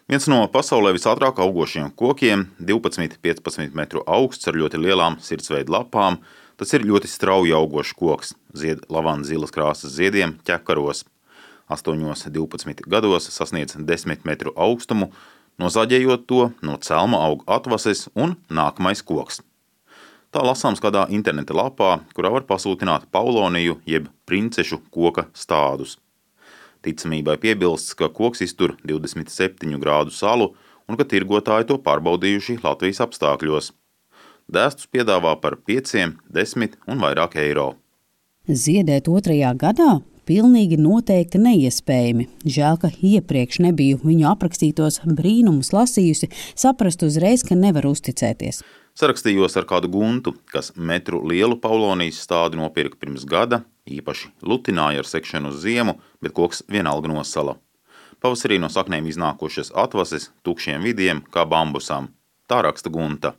Viens no pasaulē visātrāk augošiem kokiem, 12–15 metru augsts ar ļoti lielām sirdsveida lapām, tas ir ļoti strauji augošs koks, zied lavandas zilas krāsas ziediem ķekaros. 8–12 gados sasniedz 10 metru augstumu, nozāģējot to no celma aug atvases un nākamais koks. Tā lasāms kādā interneta lapā, kurā var pasūtināt pauloniju jeb princešu koka stādus. Ticamībai piebilsts, ka koks iztur 27 grādu salu un ka tirgotāji to pārbaudījuši Latvijas apstākļos. Dēstus piedāvā par 5, 10 un vairāk eiro. Ziedēt 2. gadā? Pilnīgi noteikti neiespējami. Žēl, ka iepriekš nebiju viņu aprakstītos brīnumus lasījusi, saprast uzreiz, ka nevar uzticēties. Sarakstījos ar kādu guntu, kas metru lielu paulonijas stādi nopirka pirms gada, īpaši lutināja ar sekšanu uz ziemu, bet koks vienalga nosala. Pavasarī no saknēm iznākošas atvases, tukšiem vidiem, kā bambusam. Tā raksta gunta.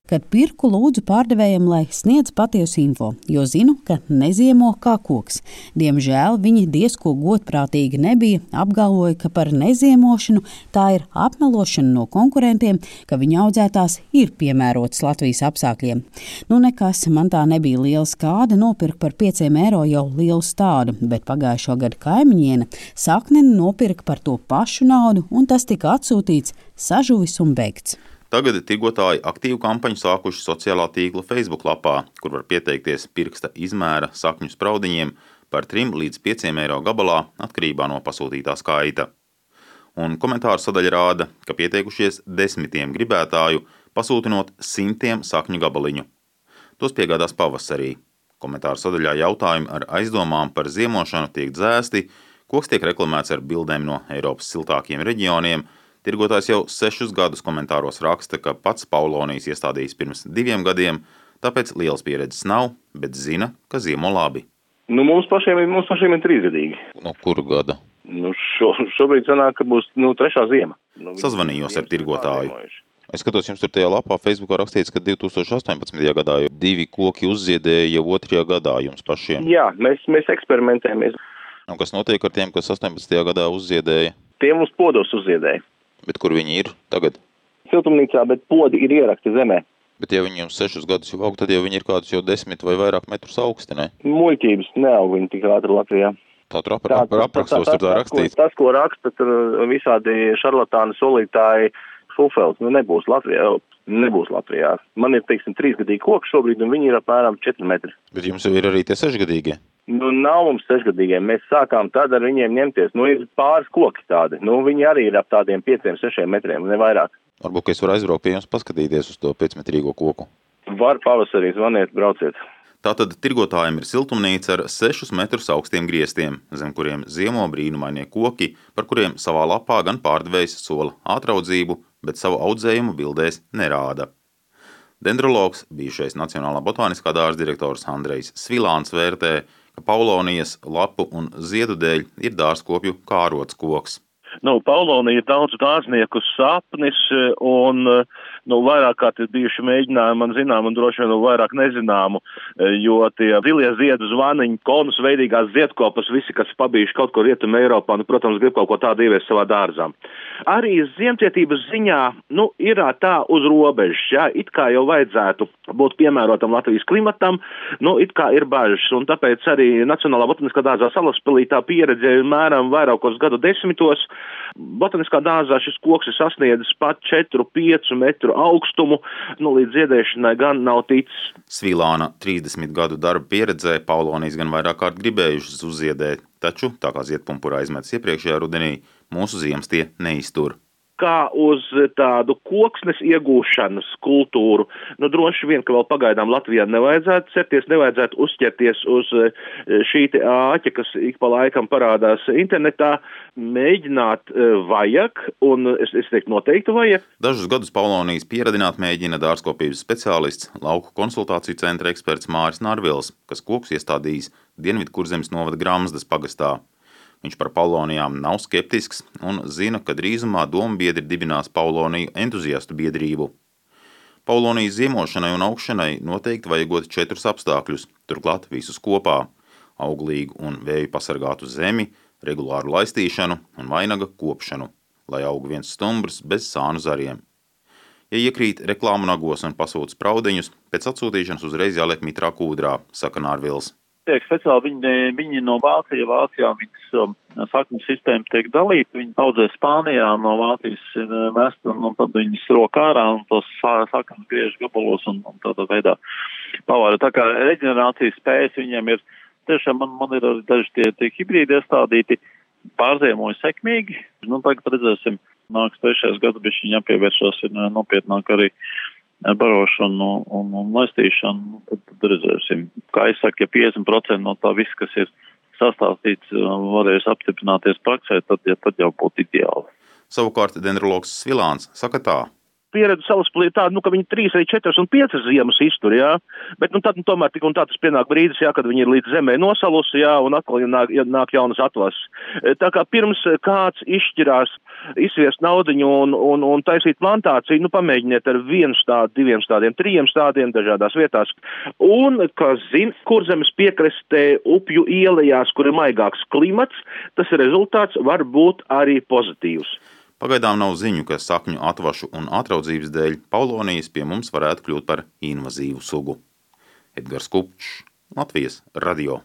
Kad pirku, lūdzu pārdevējam, lai sniedz patiesu info, jo zinu, ka neziemo kā koks. Diemžēl viņi diezko godprātīgi nebija, apgalvoja, ka par neziemošanu tā ir apmelošana no konkurentiem, ka viņa audzētās ir piemērotas Latvijas apstākļiem. Nekas, man tā nebija liela skāde, nopirka par 5 eiro jau lielu stādu, bet pagājušo gadu kaimiņiene sakneni nopirka par to pašu naudu, un tas tika atsūtīts, sažuvis un beigts. Tagad tirgotāji aktīvu kampaņu sākuši sociālā tīkla Facebook lapā, kur var pieteikties pirksta izmēra sakņu spraudiņiem par 3 līdz 5 eiro gabalā atkarībā no pasūtītā skaita. Un komentāru sadaļa rāda, ka pieteikušies 10 gribētāju, pasūtinot 100 sakņu gabaliņu. Tos piegādās pavasarī. Komentāru sadaļā jautājumi ar aizdomām par ziemošanu tiek dzēsti, koks tiek reklamēts ar bildēm no Eiropas siltākiem reģioniem. Tirgotājs jau 6 gadus komentāros raksta, ka pats paulonijas iestādījis pirms 2 gadiem, tāpēc lielas pieredzes nav, bet zina, ka ziemo labi. Mums pašiem ir 3 gadīgi. No kuru gada? Šobrīd sanāk, ka būs 3. ziema. Sazvanījos ar tirgotāju. Es skatos, jums tur tajā lapā Facebookā rakstīts, ka 2018. gadā jau 2 koki uzziedēja jau 2. gadā jums pašiem. Jā, mēs eksperimentējamies. Un kas notiek ar tiem, kas 18. gadā uzziedēja? Tie mums podos uzziedēja. Bet kur viņi ir tagad? Siltumnīcā, bet podi ir ierakti zemē. Bet ja viņi jums 6 gadus jau aug, tad jau viņi ir kādus jau 10 vai vairāk metrus augsti, ne? Muļķības neaug viņi tik ātri Latvijā. Tā tur aprakstos tur tā rakstīts. Tas, ko raksta tur visādi šarlatāni solītāji fufels, nebūs Latvijā. Man ir, 3-gadīgi koki šobrīd, un viņi ir apmēram 4 metri. Bet jums jau ir arī tie 6-gadīgie? Nav mums 6-gadīgie. Mēs sākām tad ar viņiem ņemties. Ir pāris koki tādi. Viņi arī ir ap tādiem 5-6 metriem, ne vairāk. Varbūt, ka es varu aizbraukt pie jums paskatīties uz to 5-metrīgo koku. Var pavasarī zvaniet, brauciet. Tātad tirgotājiem ir siltumnīca ar 6 metrus augstiem griestiem, zem kuriem ziemo brīnumainie koki, par kuriem savā lapā gan pārdevējs sola ātraudzību, bet savu audzējumu bildēs nerāda. Dendrologs, bijušais Nacionālā botāniskā dārza direktors Andrejs Svilāns vērtē, ka paulonijas lapu un ziedu dēļ ir dārzkopju kārots koks. Paulonija ir daudz dārznieku sapnis, un vairāk kārt ir bijuši mēģinājumi man zinām un droši vien vairāk nezināmu, jo tie zilie ziedu zvaniņi, konus veidīgās ziedkopas, visi, kas pabijuši kaut kur Rietumē Eiropā, protams, grib kaut ko tādu ieviest savā dārzā. Arī ziemcietības ziņā, ir tā uz robežas, jā, it kā jau vajadzētu būt piemērotam Latvijas klimatam, it kā ir bažas, un tāpēc arī Nacionālā botāniskā dārzā Salaspilī tā pieredze ir mēram vairākos gadu desmitos. Botaniskā dārzā šis koks ir sasniedzis pat 4-5 metru augstumu, līdz ziedēšanai gan nav ticis. Svilāna 30 gadu darba pieredzē paulonijas gan vairāk kārt gribējušas uzziedēt, taču, tā kā ziedpumpura aizmetas iepriekšējā rudenī, mūsu ziemas tie neiztur. Kā uz tādu koksnes iegūšanas kultūru, droši vien, ka vēl pagaidām Latvijā nevajadzētu certies, nevajadzētu uzķerties uz šī āķa, kas ik pa laikam parādās internetā. Mēģināt vajag, un es teiktu noteikti vajag. Dažus gadus paulonijas pieradināt mēģina dārzkopības speciālists, lauku konsultāciju centra eksperts Māris Narvils, kas kokus iestādījis Dienvidkurzemes novada Gramzdas pagastā. Viņš par paulonijām nav skeptisks un zina, ka drīzumā dombiedri dibinās pauloniju entuziastu biedrību. Paulonijas ziemošanai un augšanai noteikti vajagot 4 apstākļus, turklāt visus kopā – auglīgu un vēju pasargātu zemi, regulāru laistīšanu un vainaga kopšanu. lai aug viens stumbrs bez sānu zariem. Ja iekrīt reklāmu nagos un pasūta spraudiņus, pēc atsūtīšanas uzreiz jāliek mitrā kūdrā, saka Nārvils. Tiek speciāli viņi no Vācijā viņas sakņu sistēma tiek dalīta, viņi audzē Spānijā, no Vācijas ir mest, un tad viņas rok ārā un tos sakņus griež gabalos un tādā veidā pavāra. Tā kā reģenerācijas spējas viņiem ir, tiešām man ir arī daži tie hibrīdi iestādīti, pārziemoja sekmīgi. Tagad redzēsim, nāks 3. gads, bet viņi jāpievēršās ir nopietnāk arī barošanu un laistīšanu, tad redzēsim. Kā es saku, ja 50% no tā viss, kas ir sastāstīts, varēs apstiprināties praksē, tad jau būtu ideāli. Savukārt dendrologs Svilāns saka tā. Pieredze salaspilī tāda, ka viņi 3, 4 un 5 ziemas iztur, jā. Bet tad tomēr tik un tā tas pienāk brīdis, jā, kad viņi ir līdz zemē nosalusi, jā, un atkal nāk jaunas atlases. Tā kā pirms kāds izšķirās izsviest naudiņu un taisīt plantāciju, pamēģiniet ar 1 stādu, 2 stādiem, 3 stādiem dažādās vietās. Un, kas zina, Kurzemes piekrastē upju ielējās, kur ir maigāks klimats, tas rezultāts var būt arī pozitīvs. Pagaidām nav ziņu, ka sakņu atvašu un atraudzības dēļ paulonijas pie mums varētu kļūt par invazīvu sugu. Edgars Kupčs, Latvijas radio.